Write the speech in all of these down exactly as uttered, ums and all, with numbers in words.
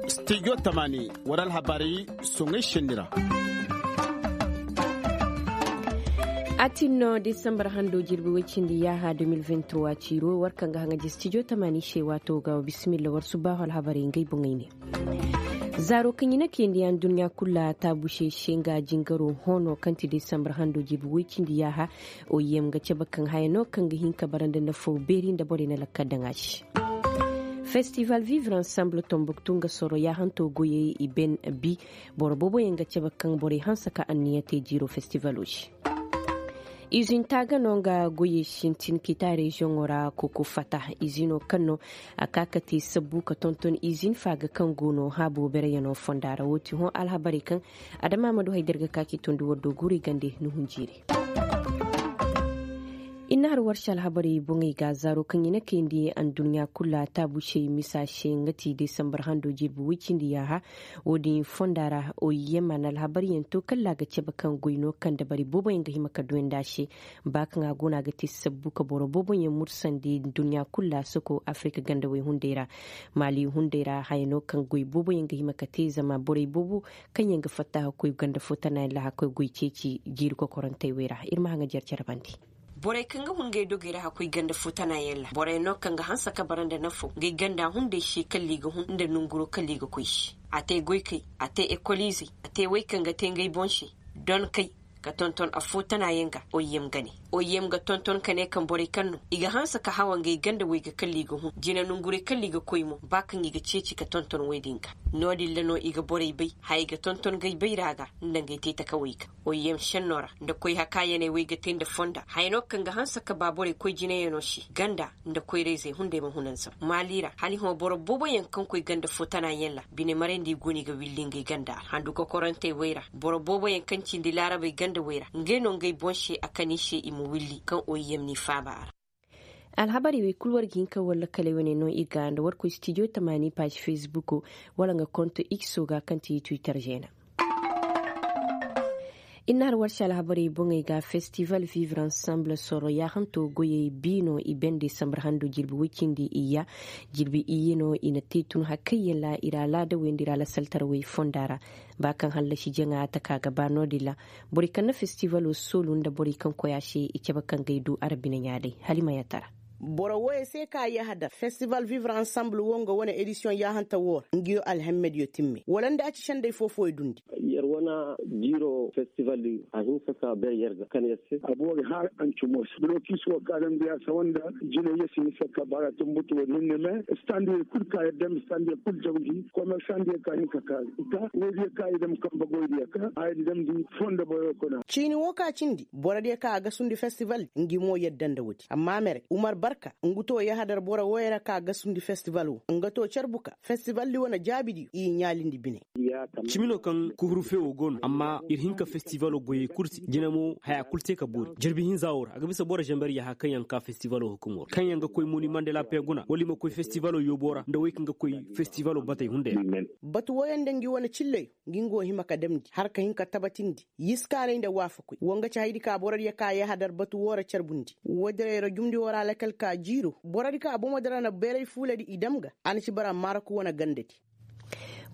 Studio tamani, wara alhabarey soŋay senni ra. A tin no desambar hando jirbi woy cindi yaaha deux mille vingt-trois ciiro war kaŋ ga haŋaji studio tamani se waato ga wa bisimilla war subaahu alhabarey ngey boŋey ne. Zaaro kaŋ i na kayandi yaŋ duɲɲa kulu ra taabu se se nga jingaro hoono kaŋ ti desambar hando jirbi woy cindi yaaha. Oyem ga cabe kaŋ haya no kaŋ ga hin ka bara nda nafaw beeri nda borey na lakkal daŋ a se. Festival vivre ensemble tombuktu nga soro yaahanto goyey i ben bi. Boro booboyaŋ ga cabe kaŋ borey hanse ka anniya te jiiro festivalo se. Izin taaga no nga goyey sintin ka i ta reziyoŋo ra koko fata. Izino kaŋ no a ka ka te sabbu ka tonton izin faaga kaŋ go no haabo bereyaŋo fonda ra wo ti hõ alhabarey kaŋ adama ma du hay da ir ga ka k'i tondi war do guurey gande ni hunjiiri. I na har warse alhabarey boŋey ga zaaro kaŋ i na kayandi anduɲɲa kulu ra taabu se misa se nga ti desambar hando jirbi woy cindi yaaha. Wo-din fonda ra oyem a na alhabaryaŋ to kalla a ga cabe kaŋ goy no kaŋ dabari booboyaŋ ga hima ka duyandi a se. Ba kaŋ a go no a ga te sabbu ka boro booboyaŋ mursandi duɲɲa kulu ra soko afirika gandawey hunday ra. Maali hunday ra haya no kaŋ goy booboyaŋ ga hima ka te zama borey boobo kaŋ yaŋ ga fatta hakkoy ganda fo tana yaŋ ra hakkoy goy ceeci jiiri kokorantey wey ra ir ma haŋa jer cere bandi. Borey kaŋ ga hun ngey dogey ra hakkoy ganda fo tana yaŋ ra borey no kaŋ ga hanse ka bara nda nafo ngey ganda hunday se kalla i ga hun nda nanguro kalla i ga koy se. A te goykey, a te ekoliizey, a te wey kaŋ ga te ngey boŋ se. Donkey ka tonton affoo tana yaŋ ga oyem ga ne. Oyem ga tonton ka ne kaŋ borey kaŋ no i ga hanse ka hawa ngey ganda wey ga kalla i ga hun jina nangurey kalla i ga koy mo ba kaŋ i ga ceeci ka tonton wey din ga. No- din ra no i ga borey bay haya ga tonton ngey bayra ga nda ngey te takawey ga. Oyem senno ra nda koy hakaayaney wey ga te nda fonda haya no kaŋ ga hanse ka ba borey koy jinayaŋo se ganda nda koyrayzey hunday ma hunanzam maali ra hala i hõ boro booboyaŋ kaŋ koy ganda fo tana yaŋ ra bine marayndi go no i ga willi ngey ganda ra handu kokorantey wey ra. Boro booboyaŋ kaŋ cindi laarabey ganda wey ra ngey no ngey boŋ se a kan i se i ma willi kaŋ oyem n'i faaba a ra. Alhabarey wey kulu war ga hin ka war lakaley wane no ir ga nda war koy stijo tamaani paazi fesbuko wala nga konto ikso ga kaŋ ti twitter zeena. Ir na har war se alhabarey boŋey ga festival vivre ensemble soro yaahanto goyey bi no i bende sambar hando jirbi woy cindi iyya. Jirbi iyye no i na te tun hakayyaŋ ra ir alaadawey nda ir alasaltarawey fonda ra. Ba kaŋ hallasi jaŋa a taka ga ba no- din ra. Borey kaŋ na festivalo soolu nda borey kaŋ koy a se i cabe kaŋ ga ay du arabina ɲaa day hala i ma yaatara. Boro wooyo se ka yahadar festival vivre ensemble wo nga wane edisiyoŋ yaahanta woo ra nguyo alhemmediyo timme wala nda a ci sendey foo-fooyo dundi. Yer wane jiiro festival a hinsa ka ber yer ga kan yer se. Aboo ga har ancumo se blokiis woo ka damndi a sawa nda jinay yer si hinsa ka bara tumbutu woo hinne me. Standiyo kul ka yer dam standiyo kul jawndi komersandiyo ka hinka ka ita woodiyo ka i dam kamba goydiyo ka a yer damndi fondo boyo kuna. Ciini woo ka cindi borodiyo ka a gasundi festival ngi mo yadda nda woodi amma mere umar barka ngu too yahadar boro wooyo ra ka gasundi festival woo nga too carbu ka festival di wane jaabidiyo i ɲaalindi bine. Cimi no kaŋ kuhuru fewoo go no amma ir hin ka festivalo goyey kul se jina mo haya kul te ka boori jirbi hinza woo ra a ga bisa boro zamber yaha kaŋ yaŋ ka festivalo hukumo ra kaŋ yaŋ ga koy moni mandela pee guna wala i ma koy festivalo yoobo ra nda wey kaŋ ga koy festivalo batey hunday ra. Batu wooyo nda ngi wane cilleyo ngi nga wo hima ka damndi har ka hin ka tabatindi yiskaanay nda waafakoy woo nga ci hayadi ka borodiyo ka yahadar batu woo ra carbundi woodira yer jumndi woo ra lakal ka jiiro borodi ka bomodi ra na beeray fuuladi i dam ga a na ci bara maarok wane gandadi.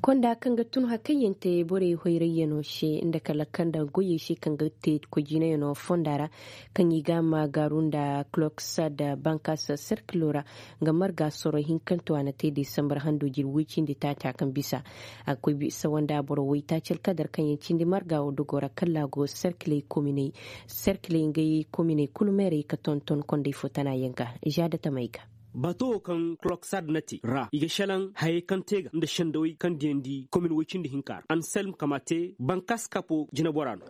Konda kaŋ ga tun hakayyaŋ te borey hoyrayyano se nda kala kaŋ nda goyey se kaŋ ga te koy jinayaŋo fonda ra kaŋ i ga a ma gaaru nda kloksad bankas serkilo ra. Nga marga soro hinkanto a na te desambar hando jirbi woy cindi taaca kaŋ bisa a ga koy bisa wanda boro woytaaci alkadar kaŋ yaŋ cindi marga wo dogo ra kalla a go serkiley kominey serkiley ngey kominey kulu meerey ka tonton kondey fo tana yaŋ ga. Za da tamey ga. Bato wo kaŋ kloksad na te ra i ga šelaŋ hayey kaŋ te ga nda sendawey kaŋ diyandi komin woy cindi hinka ra anselm kama te bankas kapo jinabora no.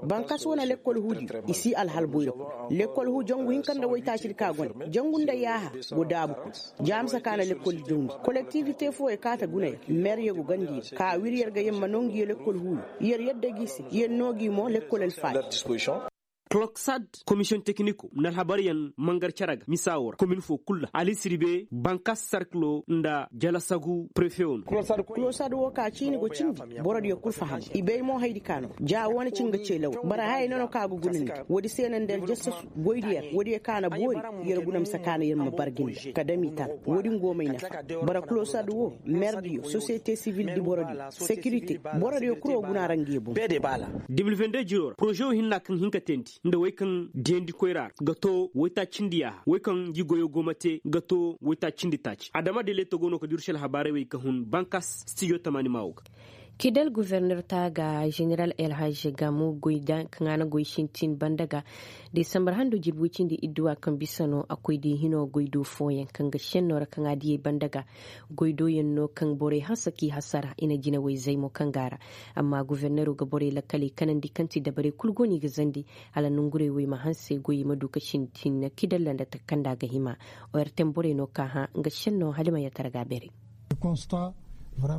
Bankas wane lekkol huudiyo i si alhal boyra kul lekkol huu jangu hinka nda woytaacidi ka gone jangu nda yaaha go daabu kul. Jaamisa ka na lekkol dawndi kolektiivite fooyo kaata guna yer meeryo go gandi yer ka wir yer ga yer ma noo ngi yer lekkol huuyo yer yadda gi se yer noo gi mo lekkol alfaadi. Kloksad, komisiyoŋ tekiniko nda alhabaryaŋ mangar cere ga misa woo ra komin foo kul ra alisirbe bankas sarkilo nda jalasagu prefewo no. Kloksad woo ka ciini go cindi borodiyo kul faham i bay mo hayadi ka no ja wane ci nga cee lawal bara hayey no no ka ga guna nda woodi se no nda yer jassasu goydiyo ra woodiyo ka na boori yer guna mise ka na yer ma bargi nda ka dam i tara woodi nga wo may nafa. Bara kloksad woo merdiyo sosiyete sivil di borodiyo sekirite borodiyo kul wo guna ra nga ye boŋ. De mil vende jiro ra poroze wo hinna kaŋ hin ka teendi nda wey kaŋ diyandi koyra ra ga to waytaaci cindi yaaha wey kaŋ ngi goyo go ma te ga to waytaaci cindi taaci adama de leeto go no ka diru se alhabaarey wey ka hun bankas stijo tamaani maa woo ga. Kidal goforner taaga jeneral elhaj gamu goy da kaŋ a na goy sintin banda ga desambar hando jirbi woy cindi idduwa kaŋ bisa no a koy di hino goy do fooyaŋ kaŋ ga senno ra kaŋ a diyey banda ga goy do yaŋ no kaŋ borey hanse k'i hasara i na jinawey zay mo kaŋ go a ra. Amma gofornero ga borey lakkaley kanandi kaŋ ti dabarey kul go no i ga zandi hala nongurey wey ma hanse goyey ma du ka sintin kidalla nda takanda ga hima. Ortem borey no ka hã nga senno hala i ma yatara ga a beerey.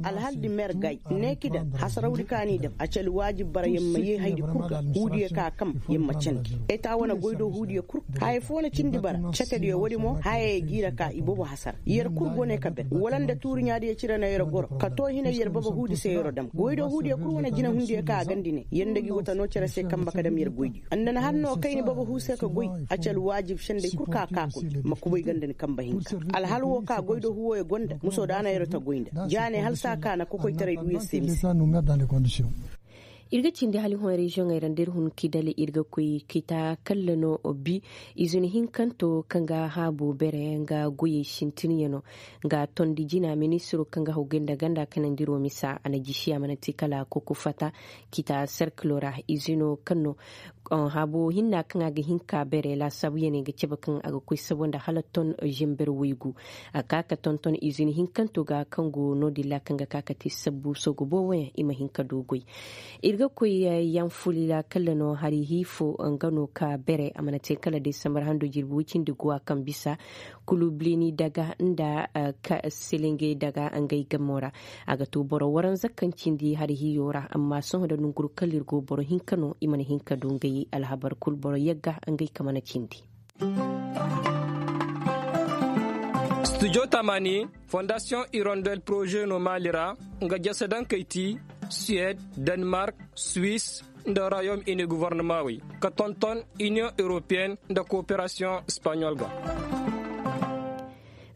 Alhal di mer gay ne kidal hasarawdi ka n'i dam a ci alwaajib bara yer ma yee haydi kul ga huudiyo ka kam yer ma candi eta wane goy do huudiyo kul. Haya foo na cindi bara cetediyo woodi mo hayey g'i ra ka iboobo hasara yer kul go ne ka ber wala nda tuuri ɲaadiyo cire no yer goro ka too hinay yer baba huudi se yer dam goy do huudiyo kul wane jinahundiyo ka a gandi ne yer nda gi wata noo cere se kanba ka dam yer goydiyo nda na har no kayni baba huu se ka goy. A ci alwaajib sendey kul ka ka kun ma kubay ganda ni kanba hinka alhal woo ka goy do huuwoyo go nda muso da na yer ta goy nda ja ne hala saa ka na kokoytaray du yer se mise. Ir ga cindi hala i hõ reziyoŋey ra nda ir hun kidali ir ga koy kita kalla no bi izini hinkanto kaŋ ga haabo bere nga goyey sintinyano. Nga tondi jina ministiro kaŋ ga haw gay nda ganda kanandiro misa a na jisi a mana te kala koko fata kita serkilo ra izino kaŋ no haabo hinna kaŋ a ga hin ka bere laasaabuyaney ga cabe kaŋ a ga koy sabo nda hala ton zember waygu. A ka ka tonton izini hinkanto ga kaŋ go no-din ra kaŋ ga ka ka te sabbu soogu booboyaŋ i ma hin ka du goy. Ir ga koy yaŋ fuli ra kala no hari hiifo nga no ka bere a mana te kala desambar hando jirbi wicindi guwa kaŋ bisa kulublini daga nda selengey daga ngey gamo ra. A ga to boro waranza kaŋ cindi hari hiyo ra amma sohõ nda nonguru kala ir go boro hinka no i mana hin ka du ngey alhabar kul boro yagga ngey ka mana cindi. Studio tamani fondasiyoŋ irondel poroze no maali ra nga jasadankey ti suwed, denmark, swis, nda royaume uni govornamaawey ka tonton iniyoŋ europeyen nda kooperasiyoŋ espaɲol ga.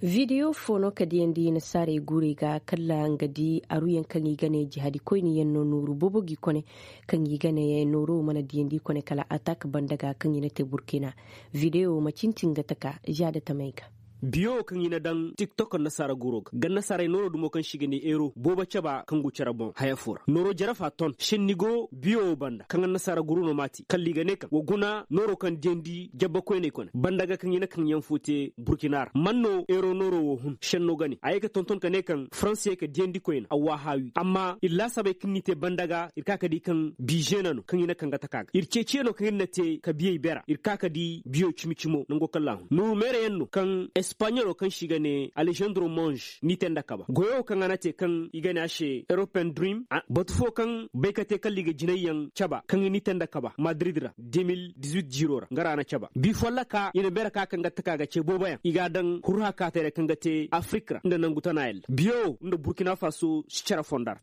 Video fo no ka diyandi nasaarey guurey ga kala nga di aruyaŋ kaŋ i ga ne jihadi koyniyaŋ no nooru boobo g'i kone kaŋ i ga ne nooro mana diyandi kone kala atak banda ga kaŋ i na te burkina. Video ma cintin ga taka zaada tamey ga. Biyo wo kaŋ i na daŋ tiktok nasaara guuro ga ga nasaarey nooro dumo kaŋ se i ga ne eero boobo caba kaŋ go care boŋ haya fo ra nooro jare fa ton senni go biyo wo banda kaŋ annasaara guuro no maati kala i ga ne kaŋ wa guna nooro kaŋ diyandi jabba koyney kone banda ga kaŋ i na kaŋ yaŋ fo te burkina ra man no eero nooro wo hun senno ga ne a ye ga tonton ka ne kaŋ faransa ye ka diyandi koyna a waahaawi amma ir laasabey kaŋ n'i te banda ga ir ka ka di kaŋ bizeena no kaŋ i na kaŋ ga taka ga ir ceeciye no kaŋ ir na te ka biyey bera ir ka ka di biyo cimi-cimo nango kaŋ laahun nuuru meerayaŋ no kaŋ espaɲolo kaŋ se i ga ne alejandro monge n'i te nda kaba goyo kaŋ a na te kaŋ i ga ne a se european dream batu fo kaŋ bay ka te kala i ga jinayyaŋ caba kaŋ i n'i te nda kaba madrid ra de mil dizuit jiiro ra nga ra a na caba bi folloka i na beera ka kaŋ ga taka ga ce booboyaŋ i ga a daŋ hurha kaatayra kaŋ ga te afrik ra nda nangu tana yalla biyo nda burkina faso si care fonda ra.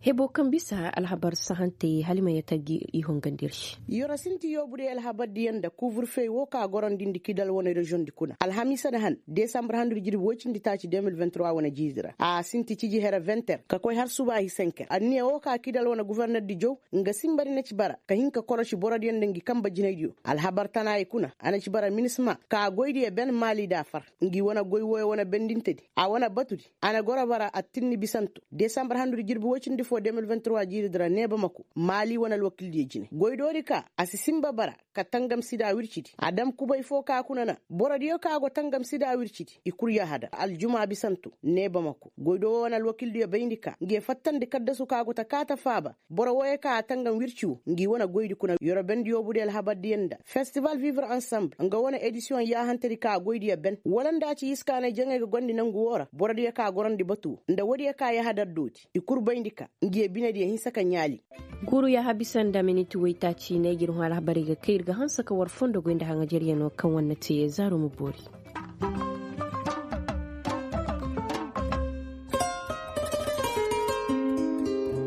Hebo kaŋ bisa alhabar sahantey hala i ma yata gi i hongandi ir se. Yoro sinti yoobu day alhabar diyaŋ nda kuuburfey wo ka gorandi nda kidal wane reziyoŋ di kuna alhamiisa nda han desambar handu nda jirbi woy cindi taaci de mil vingt trois wane jiiri ra a sinti ciji here vingt heure ka koy har subaahi cinq heure anniya wo ka kidal wane guforner di jow nga sinba di na ci bara ka hin ka korosi borodiyo nda ngi kanba jinaydiyo alhabar tanaayey kuna a na ci bara minisma ka goydiyo ben maali nda a far ngi wane goy wooyo wane bendintedi a wane batudi a na goro bara attinni bisanto desambar handu nda jirbi woy cindi fo de mil vingt trois jiiridi ra ne bamako maali wane alwakildiyo jine goydoodi ka a si sinba bara ka tangam sida wircidi a dam kubay fo ka kuna na borodiyo ka go tangam sida wircidi i kul yahada aljuma bisanto ne bamako goydo wo wane alwakildiyo bayndi ka nge fattandi kaddasu ka go ta kaata faaba boro wooyo ka a tangam wirci wo ngi wane goydi kuna yorobendi yoobudiyo alhabardiyo nda festival vivre ensemble nga wane edisiyoŋ yaahantedi ka goydiyo ben wala nda ci iskaanay jaŋay ga gondi nangu wo ra borodiyo ka gorandi batu wo nda woodiyo ka yahadar dooti i kul bayndi ka Ngi ye binediyo hinsa ka ɲaali. Guuru ya habisa nda miniti waytaaci ne ga ir hõ alhabarey ga kay ir ga hanse ka war fondo goy nda haŋajaryanoo kaŋ war na te zaaru ma boori.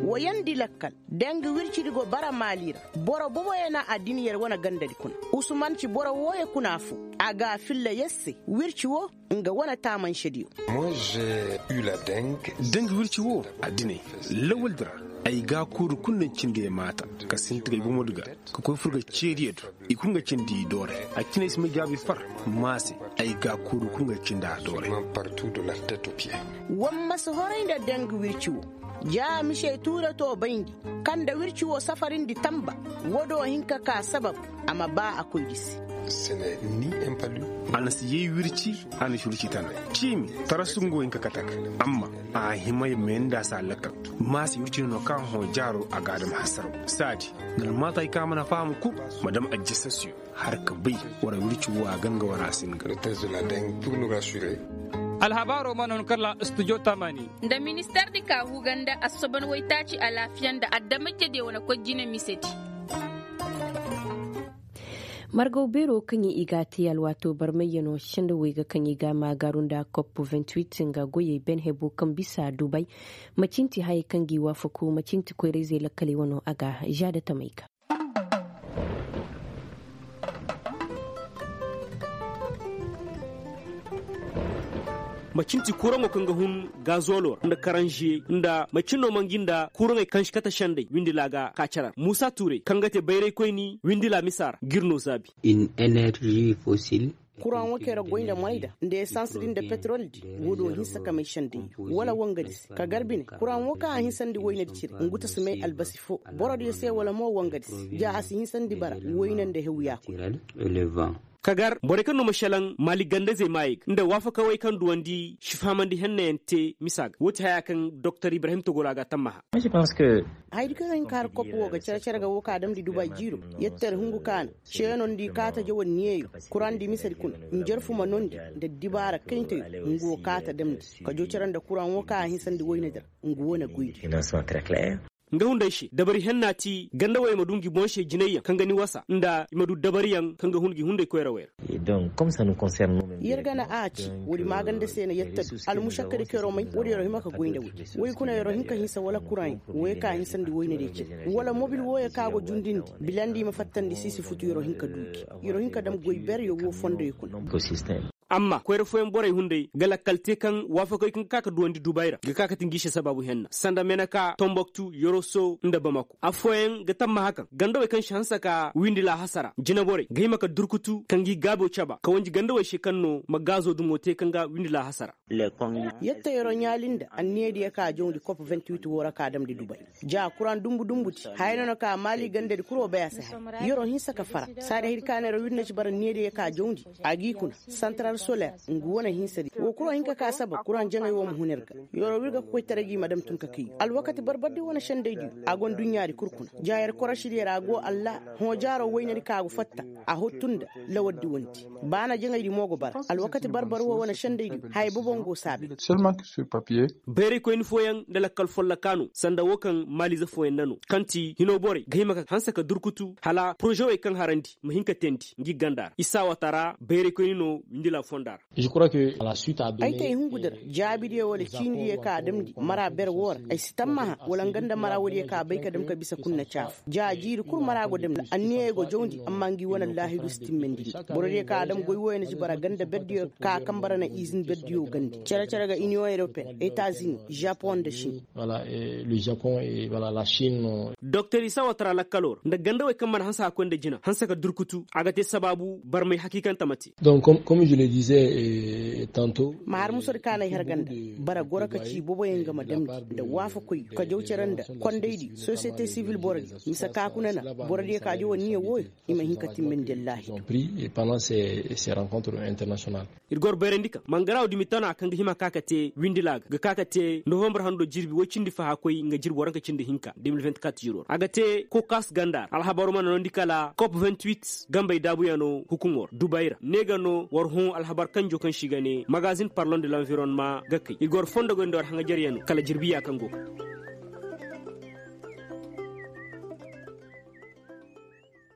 Wayandi lakkal, dangi wircidi go bara maali ra. Boro boboyaŋ na adiniyar wane gandadi kuna. Usman ci boro wooyo kuna foo. A ga a filla yer se wirci woo nga wane taamansediyo. Dangi wirci woo adinay lawaldi ra. Ay gaakuuru kul na cindi ay maata ka sinti ga ay bomodi ga ka koy fur ga ceediyo do. I kul nga cindi i doore. A cinay si may jaabi far. Maase ay gaakuuru kul nga cindi a doore. War ma si horay nda dangi wirci woo. Ja mise tuuratoo bayndi kaŋ nda wirci woo safarindi tanba. Woo do hin ka kaa sabab a ma baa a koydi se. A na si yay wirci. A na si wirci tana ciimi tarasu nga wo hin ka kate a ga. Amma a hima ya mee nda a si a lakkal. Maase wirci no no kaŋ a hõ jaaroo a ga a dam hasaraw. Saadi nda almaata hay kaŋ a mana faham kul ma dam ajjasasiyo. Har ka bay war wirci woo a ganga war a si nga. Alhabaaroo mana hun kala studio tamani. Nda ministeer di ka huu ganda assoban waytaaci alaafiya nda adamajediyo wane koy jine misedi. Margaw beeroo kaŋ i ga a te alwaatoo barmayyanoo sendawey ga kaŋ i ga a maagaaru nda kop vingt-huit nga goyey ben heboo kaŋ bisa dubay. Macinti hayey kaŋ g'i waafaku macinti koyra-izey lakkaley wanoo a ga žaada tamey ga. Macinti kuraŋo kaŋ ga hun gazoloo ra nda karanžiye nda macin no ma ngi nda kuraŋey kaŋ si kate sendey windila ga ka care ra muusa tuurey kaŋ ga te bayraykoyni windila misa ra g'ir no zaabi. Kuraŋo kaŋ yer goy nda moray da nda esans din nda peterol di. Woo do hinsa ka may sendey wala wangadi se ka gar bine kuraŋo kaŋ a hinsandi waynadi cire ngu ta si may albasi foo. Borodiyo se wala mo wangadi se ja a si hinsandi bara wayne nda hewya koy. Ka gar borey kaŋ no ma šelaŋ maali gandazey maayey ga nda waafakawey kaŋ duwandi si fahamandi hennayaŋ te misa ga woo ti haya kaŋ doktor ibrahim togora ga a tammaha. Hayadi kaŋ a hin ka har kop woo ga care care ga woo ka damndi dubay jiiro. Yettar hungu kaana ceeno nda i kaata jawan niyeyo kuraŋ di misedi kuna. Njarfu ma nondi nda dibaara kayntayo nga woo kaata damndi ka joo care nda kuraŋ woo kaŋ a hinsandi waynadi ra. Nga woo na goydi. Nga hunday se dabari henna ti gandawey ma du ngi boŋ se jinayyaŋ kaŋ ga ni wasa nda i ma du dabariyaŋ kaŋ ga hun gi hunday koyrawey ra. Yer ga na a ci woodi maaganda se na yer ta du almušakkadi kaŋ yer'o may woodi yer'o hima ka goy nda woy. Woy kuna yer'o hin ka hinsa wala kuraŋ yaŋ woy ka hinsandi woy na day cine wala mobil wooyo kaŋ a go jundindi bilandi i ma fattandi siisi futu yer'o hin ka du gi yer'o hin ka dam goy beryo woo fondoyo kuna. Amma koyra fooyaŋ borey hunday ga lakkal te kaŋ waafakey kaŋ ga ka ka duwandi dubay ra ga ka ka ti ngi se sabaabu henna sanda meneka tomboktu yoroso nda bamako affooyaŋ ga tammaha kaŋ gandawey kaŋ si hanse ka windi laahasa ra jineborey ga hima ka durkutu ka ngi gaabo caba ka wanji gandawey se kaŋ no ma gaazo dumo te kaŋ ga windi laahasa ra. Yetta yer'o ɲaali nda anniyadiyo ka jawndi kop vingt-huit woo ra ka damndi dubay. Ja kuraŋ dumbu dumbu ti haya no na ka maali gandadi kul wo bay a si haya. Yer'o hinsa ka fara saadi hayadi ka na yer'o wir na ci bara niyadiyo ka jawndi a g'i kuna santaral soler. Ngu wane hinsadi woo kul wo hin ka ka sabab kuraŋ jaŋay woo ma hun ir ga. Yer'o wir ga kokoytaray gi ma dam tun ka kay alwakati barbardi wane sendaydi a go nduɲɲaadi kul kuna. Ja yer korošidi yer a go allah hõ jaaro waynadi ka go fatta a hottu nda lawardi wandi. Ba na jaŋaydi mo go bara alwakati barbar wo wane sendaydi haya bobo ngo saabe. Bayraykoyni fooyaŋ nda lakkal folloka no sanda woo kaŋ maaliize fooyaŋ na no kaŋ ti hinoo borey ga hima ka hanse ka durkutu hala porozewey kaŋ harandi ma hin ka teendi ngi ganda ra isa watara bayraykoyni no windila fonda ra. Ay te ay hungudi ra jaabidiyo wala ciinidiyo ka a damndi mara ber woo ra ay si tammaha wala nga nda mara woodiyo ka a bay ka dam ka bisa kul na caafu ja jiiri kul mara go damndi anniyey go jawndi amma ngi wane allaahidu si timmandindi. Borodiyo ka a dam goy wooyo na ci bara ganda berdiyo ka a kaŋ bara na izin berdiyo gandi cere cere ga iniyoŋ eropen etazini japon nda sin. Doktor isa watara lakkaloo ra nda gandawey kaŋ mana hanse ka koy nda jina hanse ka durkutu a ga te sabaabu barmay hakiikante ma te. Ma har musadi ka na ay har ganda bara goro ka ci boboyaŋ ga ma damndi nda waafakoy ka jaw cere nda kondaydi sosiyete sivil borodiyo mise ka kuna na borodiyo ka jaw anniya wooyo i ma hin ka timmandi allaahidu. Ir goro bayrandi kaŋ mangaraaw dumi tana kaŋ ga hima ka ka te windila ga ga ka ka te novambar hando jirbi woy cindi fahakoy nga jirbi waranka cindi hinka de mil vingt-quatre jiroo ra a ga te kokas ganda ra alhabaroo mana noondi kala kop vingt-huit gambey daabuyanoo hukumoo ra dubay ra ne ga no war hõ alhabar kanjoo kaŋ se i ga ne magazin parlon de l'environnement ga kay ir goro fondogoy nda war haŋajaryanoo kala jirbiya kaŋ go ga.